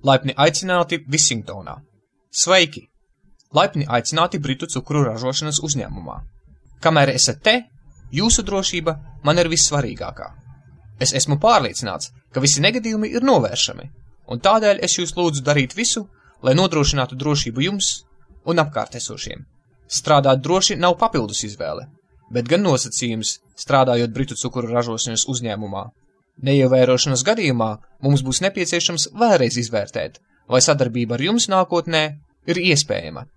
Laipni aicināti Visingtonā. Sveiki! Laipni aicināti Britu cukuru ražošanas uzņēmumā. Kamēr esat te, jūsu drošība man ir vissvarīgākā. Es esmu pārliecināts, ka visi negadījumi ir novēršami, un tādēļ es jūs lūdzu darīt visu, lai nodrošinātu drošību jums un apkārtesošiem. Strādāt droši nav papildus izvēle, bet gan nosacījums, strādājot Britu cukuru ražošanas uzņēmumā. Neievērošanas gadījumā mums būs nepieciešams vēlreiz izvērtēt, vai sadarbība ar jums nākotnē ir iespējama.